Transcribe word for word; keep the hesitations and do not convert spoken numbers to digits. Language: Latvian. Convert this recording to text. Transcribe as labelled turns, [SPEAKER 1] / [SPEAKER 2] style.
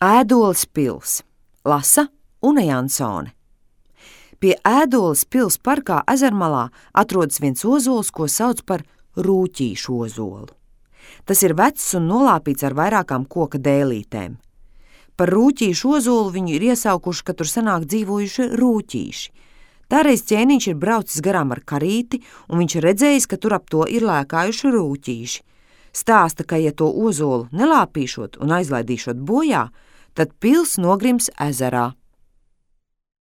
[SPEAKER 1] Ēdoles pils, lasa Une Jansone. Pie Ēdoles pils parkā Ezermalā atrodas viens ozols, ko sauc par rūķīšu ozolu. Tas ir vecs un nolāpīts ar vairākām koka dēlītēm. Par rūķīšu ozolu viņu ir iesaukuši, ka tur senāk dzīvojuši rūķīši. Tāreiz ķēniņš ir braucis garām ar karīti, un viņš ir redzējis, ka tur ap to ir lēkājuši rūķīši. Stāsta, ka ja to ozolu nelāpīšot un aizlaidīšot bojā, tad pils nogrims ezerā.